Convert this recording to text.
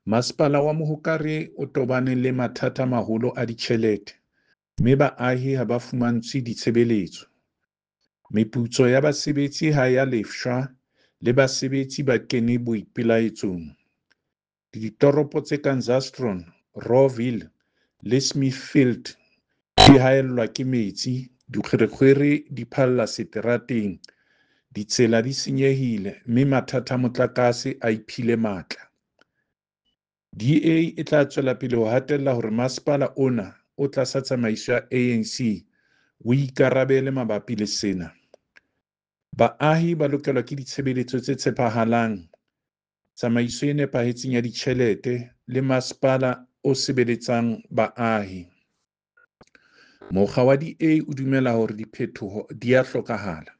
Masepala wa Mohokare o tobane le mathata a maholo a ditjhelete mme baahi ha ba fumantshwe ditshebeletso. Meputso ya basebetsi ha e a lefshwa le basebetsi ba kene boipelaetsong. Ditoropo tse kang Zastron, Rawville le Smithfield di haellwa ke metsi, dikgwerekgwere di phalla seterateng, ditsela di senyehile mme mathata a motlakase a iphile matla. DA e tla tswela pele ho hatella hore masepala ona o tlasa tsamaiso ya ANC o ikarabele mabapi le sena. Baahi ba lokelwa ke ditshebeletso tse tshepahalang, tsamaiso e nepahetseng ya ditjhelete le masepala o sebeletsang baahi. Mokga wa DA o dumela hore diphetoho di a hlokahala.